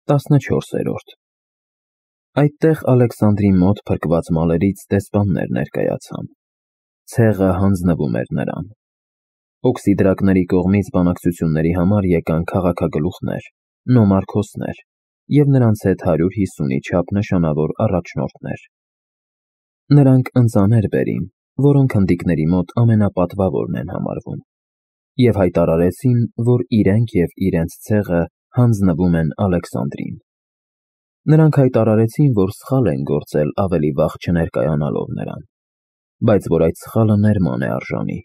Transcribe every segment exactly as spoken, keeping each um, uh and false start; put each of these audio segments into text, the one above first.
տասնչորսերորդ Այդտեղ Ալեքսանդրի մոտ փրկված մալերից դեսպաններ ներկայացան, ցեղը հանձնվում էր նրան, օքսիդրակների կողմից բանակցությունների համար եկան քաղաքագլուխներ, նոմարքոսներ և նրանց հետ հարյուր հիսունի չափ նշանավոր առաջնորդներ. նրանք ընծաներ բերին, որոնք հնդիկների մոտ ամենապատվավորն են համարվում, և հայտարարեցին, որ իրենք և իրենց ցեղը հանձնվում են Ալեքսանդրին. նրանք հայտարարեցին, որ սխալ են գործել ավելի վաղ չներկայանալով նրան, բայց որ այդ սխալը ներման է արժանի.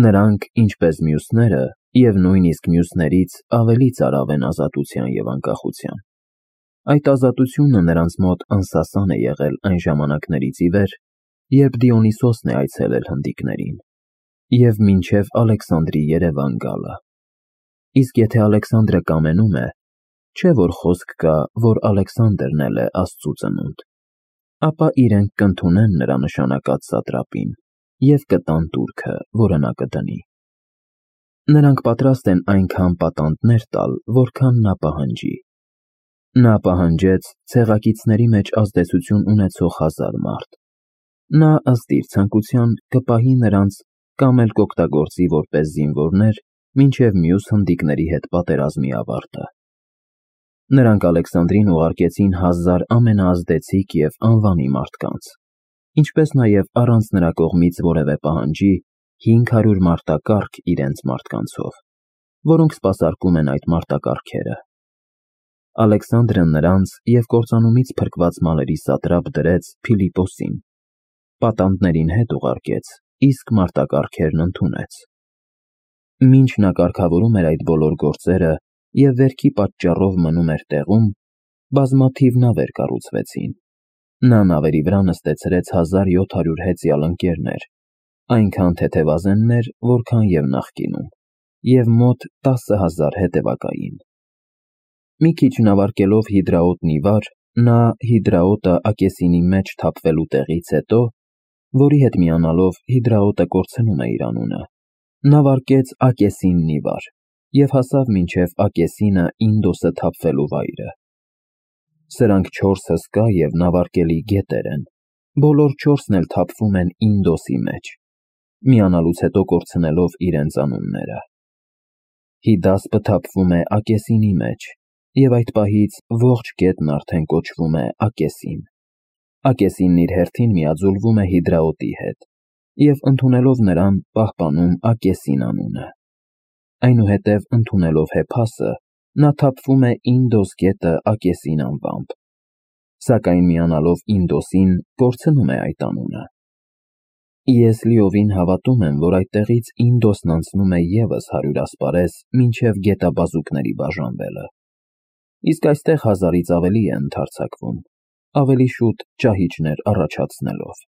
նրանք, ինչպես մյուսները, և նույնիսկ մյուսներից ավելի ծարավ են ազատության և անկախության. Այդ ազատությունը նրանց մոտ անսասան է եղել այն ժամանակներից ի վեր, երբ Դիոնիսոսն է այցելել հնդիկներին, և մինչև Ալեքսանդրի երևան գալը: Իսկ եթե Ալեքսանդրը կամենում է, չէ՞ որ խոսք կա, որ Ալեքսանդրն էլ է Աստծու ծնունդ, ապա իրենք կընդունեն նրա նշանակած սատրապին և կտան տուրքը, որը նա կդնի: Նրանք պատրաստ են այնքան պատանդներ տալ, որքան նա պահանջի: Նա պահանջեց ցեղակիցների մեջ ազդեցություն ունեցող հազար մարդ: Նա, ըստ իր ցանկության, կպահի նրանց կամ էլ կօգտագործի որպես զինվորներ մինչև մյուս հնդիկների հետ պատերազմի ավարտը: Նրանք Ալեքսանդրին ուղարկեցին հազար ամենաազդեցիկ և անվանի մարդկանց, ինչպես նաև առանց նրա կողմից որևէ պահանջի հինգ հարյուր մարտակառք իրենց մարդկանցով, որոնք սպասարկում են այդ մարտակառքերը: Ալեքսանդրը նրանց և կործանումից փրկված մալերի սատրապ դրեց Փիլիպոսին, պատանդներին հետ ուղարկեց, իսկ մարտակառքերն ընդունեց: Մինչ նա կարգավորում էր այդ բոլոր գործերը և վերքի պատճառով մնում էր տեղում, բազմաթիվ նավեր կառուցվեցին: Նա նավերի վրա նստեցրեց հազար յոթ հարյուր հեծյալ ընկերներ, այնքան թեթևազեններ, որքան և նախկինում, և մոտ տասը հազար հետևակային: Մի քիչ նավարկելով Հիդրաոտնի վար, նա Հիդրաոտը Ակեսինի մեջ թափվելու տեղից հետո, որի հետ միանալով Հիդրաոտը կորցնում է իր անունը, նավարկեց Ակեսիննի վար և հասավ մինչև Ակեսինը Ինդոսը թափվելու վայրը: Սրանք չորս հսկա և նավարկելի գետեր են, բոլոր չորսն էլ թափվում են Ինդոսի մեջ, միանալուց հետո կորցնելով իրենց անունները: Հիդասպը թափվում է Ակեսինի մեջ, և այդ պահից ողջ գետն արդեն կոչվում է Ակեսին: Ակեսինն իր հերթին միաձուլվում է Հիդրաոտի հետ և ընդունելով նրան պահպանում Ակեսին անունը: Այնուհետև ընդունելով Հեփասը, նա թափվում է Ինդոս գետը Ակեսին անվամբ, սակայն միանալով Ինդոսին կորցնում է այդ անունը: Ես լիովին հավատում եմ, որ այդտեղից Ինդոսն անցնում է ևս հարյուր ասպարեզ մինչև գետաբազուկների բաժանվելը: Իսկ այստեղ հազարից ավելի է ընդարձակվում, ավելի շուտ ճահիճներ առաջացնելով: